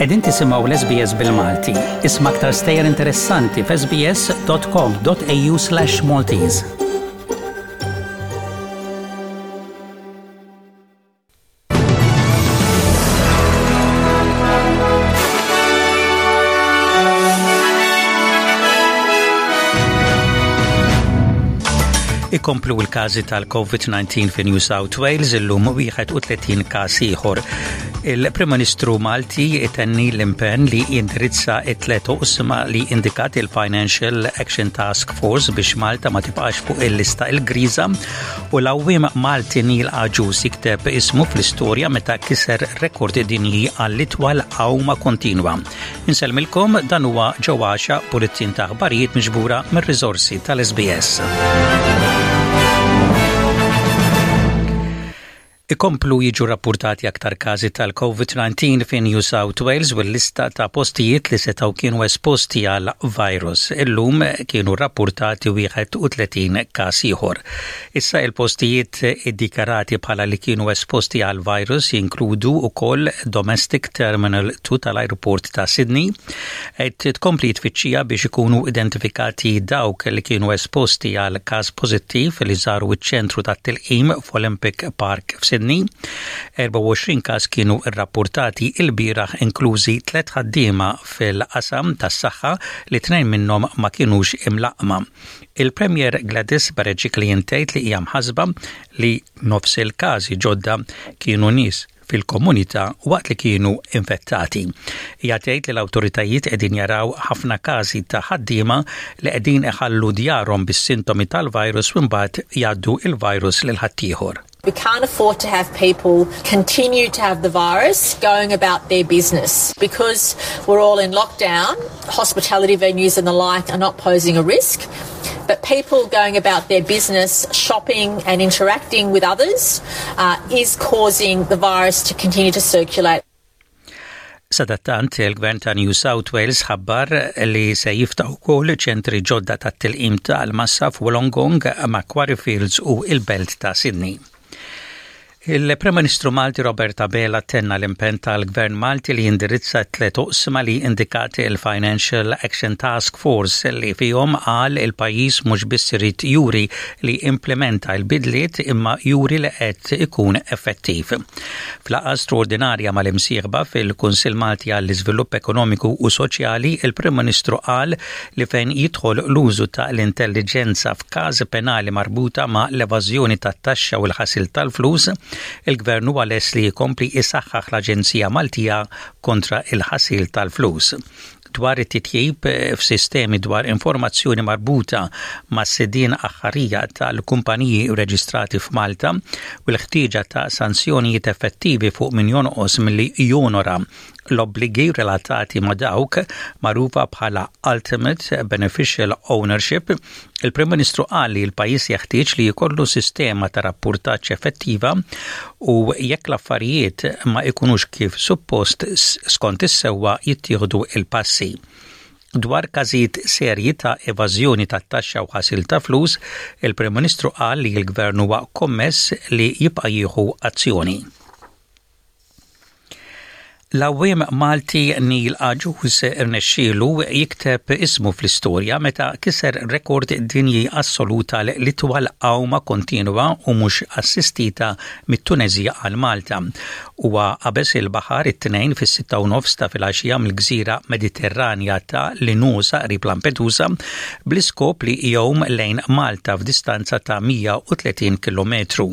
Qegħdin tisimgħu l-SBS bil-Malti. Isma' aktar stejjer interessanti f'sbs.com.au/Maltese. Ikomplu l-każi tal-COVID-19 fi New South Wales illum 31 każ ieħor. Il-Prim Ministru Malti itenni l-impenn li jindirizza it-tlet oqsma li indikat il-Financial Action Task Force biex Malta ma tibqax fuq il-lista il-griża U l-għawwiem Malti Neil Agius jikteb ismu fl-istorja meta kiser rekord dinji għall-itwal għawma kontinwa. Insellmilkom dan huwa ġewwaxa bulletin ta' aħbarijiet miġbura mir-riżorsi tal-SBS. Ikomplu jiġu rappurtati aktar każi tal-COVID-19 fi New South Wales u l-lista ta' postijiet li setgħu kienu esposti għal virus. Illum kienu rappurtati 31 każ ieħor. Issa il-postijiet iddikjarati bħala li kienu esposti għal virus jinkludu wkoll Domestic Terminal 2 tal-ajruport ta' Sydney. Qed tkompli tfittxija biex ikunu identifikati dawk li kienu esposti għal każ pożittiv li żaru ċ-ċentru tat-tilqim f'Olympic Park f'Sydney. 24 każ kienu rrappurtati ilbieraħ inklużi tliet ħaddiema fil-qasam tas-saħħa li tnejn minnhom ma kinux imlaqqma. Il-Premier Gladys Berejiklian tgħid li hija mħassba li nofs il-każi ġodda kienu nies fil-komunità waqt li kienu infettati. Hija tgħid li l-awtoritajiet qegħdin jaraw ħafna każi ta' ħaddiema li qegħdin iħallu djarhom bis-sintomi tal-virus u mbagħad jgħaddu il-virus lil ħaddieħor. We can't afford to have people continue to have the virus going about their business. Because we're all in lockdown, hospitality venues and the like are not posing a risk. But people going about their business, shopping and interacting with others uh, is causing the virus to continue to circulate. Sadattant, il-Gvern ta' New South Wales ħabbar li se jiftaħ ukoll ċentri ġodda tat-tilqim tal-massa f'Wollongong, Macquarie Fields u il-Belt ta' Sydney. Il-Prim Ministru Malti Robert Abela tenna l-impenn tal-Gvern Malti li jindirizza tliet oqsma li indikat il-Financial Action Task Force li fihom qal il-pajjiż mhux biss irid juri li implementa l-bidliet imma juri li qed ikun effettiv. F'laqgħa straordinarja mal-imsieħba fil-Kunsill Malti għall-Iżvilupp Ekonomiku u Soċjali, il-Prim Ministru qal li fejn jidħol l-użu ta' l-intelliġenza f'każi penali marbuta ma' l-evażjoni tat-taxxa u l-ħasil tal-flus, il-Gvern huwa lest li jkompli jsaħħaħ l-Aġenzija Maltija kontra l-ħasil tal-flus. Dwar it-titjib f'sistemi dwar informazzjoni marbuta mas-sidien aħħarija tal-kumpaniji rreġistrati f'Malta u l-ħtieġa ta' sanzjonijiet effettivi fuq min jonqos milli jonora l-obbligi relatati ma' dawk magħrufa bħala Ultimate Beneficial Ownership, il-Prim Ministru qal li l-pajjiż jeħtieġ li jkollu sistema ta' rappurtaġġ effettiva u jekk l-affarijiet ma jkunux kif suppost skont is-sewwa jittieħdu il-passi. Dwar każijiet serji ta' evażjoni tat-taxxa u ħasil ta' flus, il-Prim Ministru qal li l-Gvern huwa kommess li jibqa' jieħu azzjoni. L-għawwiem Malti Neil Agius irnexxielu jikteb ismu fl-istorja meta kiser rekord dinji assolut għal l-itwal għawma kontinwa u mhux assistita mit-Tuneżija għal Malta. Huwa qabeż il-baħar it-Tnejn fis-sitta u nofs ta' filgħaxija mill-gżira Mediterranja ta' Linosa qrib Lampedusa bl-iskop li jgħum lejn Malta f'distanza ta' 130 kilometru.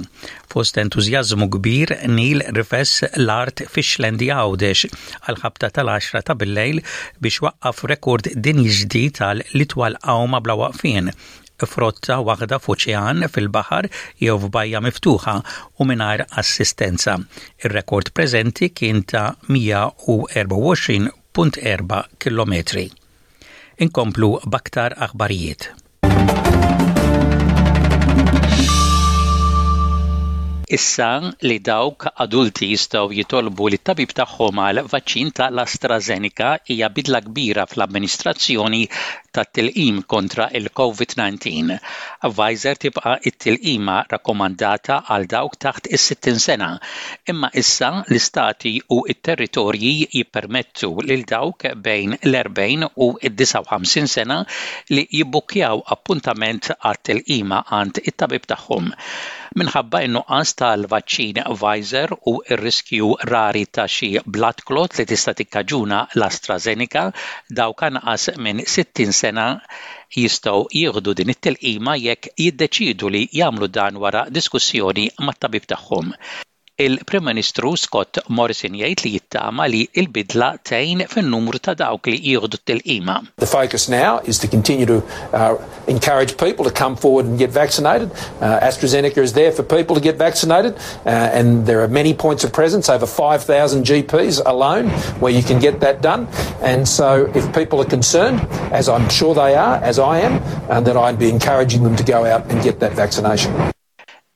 Fost entużjażmu kbir, Neil rifes l-art fix-Xlendi Għawdex għall-ħabta tal-għaxra ta' billejl biex waqqaf rekord dinji ġdid għal l-itwal għawma bla waqfien f'rotta waħda f'oċean, fil-baħar jew f'bajja miftuħa u mingħajr assistenza. Ir-rekord preżenti kien ta' 124.4 kilometri. Inkomplu b'aktar aħbarijiet. Issa li dawk adulti jistgħu jitolbu lit-tabib tagħhom għal vaċċin ta' l-AstraZeneca hija bidla kbira fl-amministrazzjoni. tat-tilqim kontra l-Covid-19. Pfizer tibqa' t-tilqima rakkomandata għal dawk taħt is-60 sena, imma issa l-istati u t-territorji jippermettu lil dawk bejn l-40 u d-59 sena li jibbukkjaw appuntament għat-tilqima għand it-tabib tagħhom. Minħabba n-nuqqas tal-vaċċin Pfizer u r-riskju rari ta' xi blood clot li tista' tikkaġuna l-AstraZeneca, dawk anqas minn 60 sena jistgħu jieħdu din it-tilqima jekk jiddeċiedu li jagħmlu dan wara diskussjoni mat-tabib tagħhom. Il-Prim Ministru Scott Morrison jgħid li jittama li l-bidla tgħin fin-numru ta' dawk li jieħdu t-tilqima. The focus now is to continue to encourage people to come forward and get vaccinated. AstraZeneca is there for people to get vaccinated and there are many points of presence, over 5,000 GPs alone where you can get that done. And so if people are concerned, as I'm sure they are, as I am, then I'd be encouraging them to go out and get that vaccination.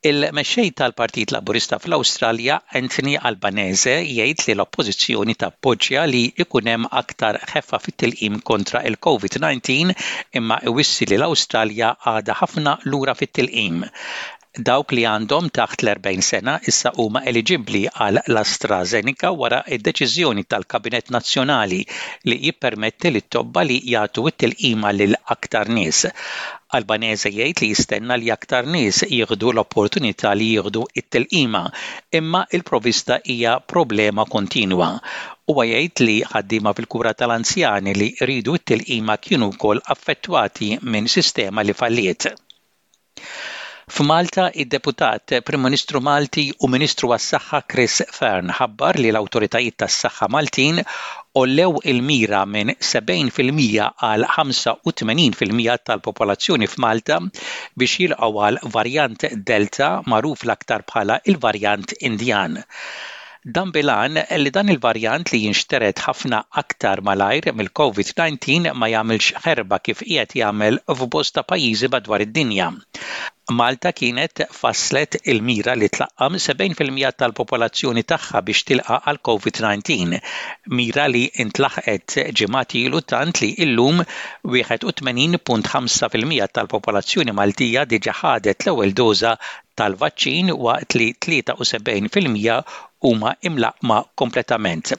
Il-Mexxej tal-Partit Laburista fl-Awstralja, Anthony Albanese, jgħid li l-Oppożizzjoni tappoġġja li jkun hemm aktar ħeffa fit-tilqim kontra l-Covid-19 imma iwissi li l-Awstralja għadha ħafna lura fit-tilqim. Dawk li għandhom taħt l-40 sena issa huma eliġibbli għal l-AstraZeneca wara d-deċiżjoni tal-Kabinett Nazzjonali li jippermetti lit-tobba li jagħtu t-tilqima lil aktar nies. Albanese jgħid li jistenna li aktar nies jieħdu l-opportunità li jieħdu t-tilqima, imma l-provista hija problema kontinwa. Huwa jgħid li ħaddiema fil-kura tal-anzjani li jridu t-tilqima kienu wkoll affettwati minn sistema li falliet. F'Malta, id-Deputat Prim Ministru Malti u Ministru għas-Saħħa Chris Fearne ħabbar li l-awtoritajiet tas-saħħa Maltin għollew il-mira minn 70 fil-mija għal 85 fil-mija tal-popolazzjoni f'Malta biex jilqgħu għal varjant Delta magħruf l-aktar bħala l-varjant Indjan. Dan bil-għan li dan il-varjant li jinxtered ħafna aktar malajr mill-Covid 19 ma jagħmilx ħerba kif qiegħed jagħmel f'bosta pajjiżi madwar id-dinja. Malta kienet fasslet il-mira li tlaqqam 70 fil-mija tal-popolazzjoni tagħha biex tilqa' għall-Covid 19, mira li ntlaħqet ġimgħat ilu tant li illum 81.5 fil-mija tal-popolazzjoni Maltija diġà ħadet l-ewwel doża tal-vaċċin waqt li 73 fil-mija huma imlaqqma kompletament.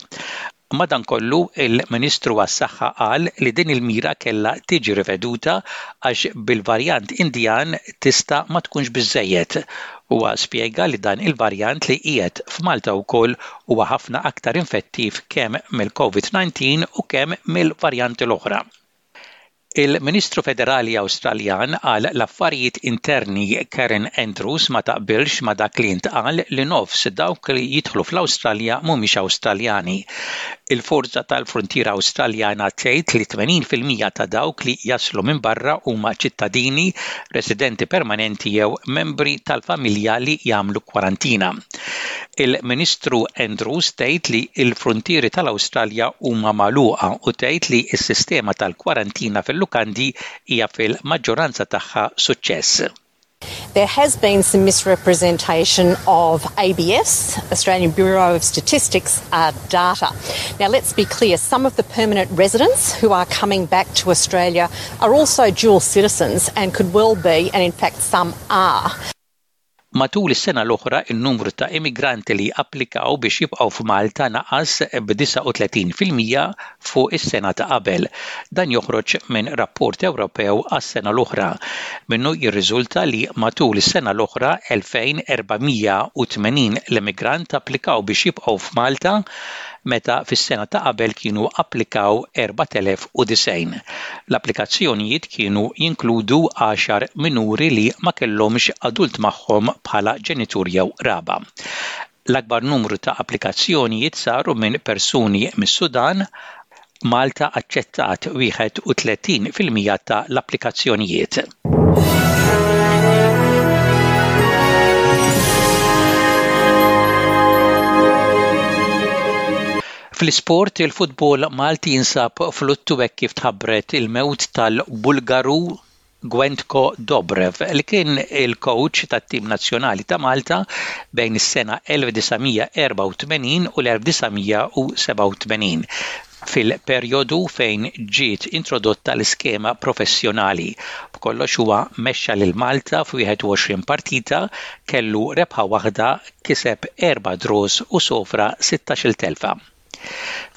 Madankollu, il-Ministru għas-Saħħa qal li din il-mira kellha tiġi riveduta għax bil-varjant Indjan tista' ma tkunx biżżejjed. Huwa spjega li dan il-varjant li qiegħed f'Malta wkoll huwa ħafna aktar infettiv kemm mill-Covid 19 u kemm mill-varjanti l-oħra. Il-Ministru Federali Awstraljan għal l-Affarijiet Interni Karen Andrews ma taqbilx ma' dak li ntqal li nofs dawk li jidħlu fl-Awstralja mhumiex Awstraljani. Il-Forza tal-Fruntiera Awstraljana tgħid li 80 fil-mija ta' dawk li jaslu minn barra huma ċittadini, residenti permanenti jew membri tal-familja li jagħmlu kwarantina. Il-Ministru Andrews tgħid li l-fruntieri tal-Awstralja huma magħluqa u tgħid li s-sistema tal-kwarantina fil-lukandi hija fil-maġġoranza tagħha suċċess. There has been some misrepresentation of ABS, Australian Bureau of Statistics, data. Now let's be clear, some of the permanent residents who are coming back to Australia are also dual citizens and could well be, and in fact some are. Matul is-sena l-oħra n-numru ta' immigranti li applikaw biex jibqgħu f'Malta naqas b'39 fil-mija fuq is-sena ta' qabel. Dan joħroġ minn rapport Ewropew għas-sena l-oħra. Minnu jirriżulta li matul is-sena l-oħra 2,480 l-immigrant applikaw biex jibqgħu f'Malta meta fis-sena ta' qabel kienu applikaw 4,090. L-applikazzjonijiet kienu jinkludu għaxar minuri li ma kellhomx adult magħhom bħala ġenitur jew qraba. L-akbar numru ta' applikazzjonijiet saru minn persuni mis-Sudan, Malta aċċettat 31% ta' l-applikazzjonijiet. Fl-isport, il-futbol Malti jinsab f'luttu hekk kif tħabbret il-mewt tal-Bulgaru Gwentko Dobrev li kien il-kowċ tat-tim nazzjonali ta' Malta bejn is-sena 1984 u l-1987. fil-perjodu fejn ġiet introdotta l-iskema professjonali. B'kollox huwa mexxa lil Malta f'21 partita, kellu rebħa waħda, kiseb erba' draws u sofra sittax-il telfa.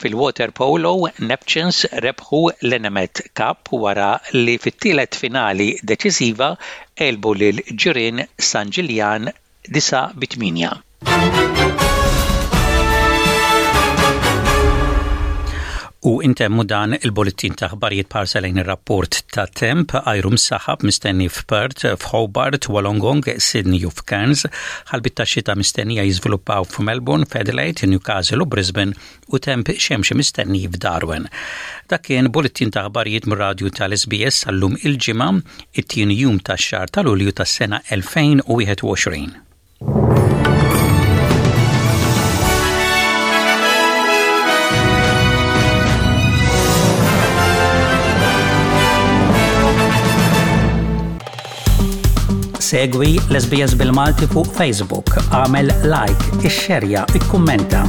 Fil-waterpolo, Neptunes rebħu l-Enemed Cup wara li fit-tielet finali deċiżiva għelbu lil ġirien San Ġiljan 9 bi 8. U intemmu dan il-bullettin ta' aħbarijiet b'ħarsa lejn ir-rapport ta' temp ajru msaħab mistenni f'Perth, f'Hobart, Wollongong, Sydney u f'Cairns, ħalbiet ta' xita mistennija jiżviluppaw f'Melbourne, f'Adelaide, Newcastle u Brisbane u temp xemxi mistenni f'Darwin. Dak kien bullettin ta' aħbarijiet mir-radju tal-SBS għal-lum il-Ġimgħa, it-tieni jum tax-xahar ta' Lulju tas-sena 2021. Segwi l-SBS bil-Malti fuq Facebook, għamel like, ixxerja, ikkummenta.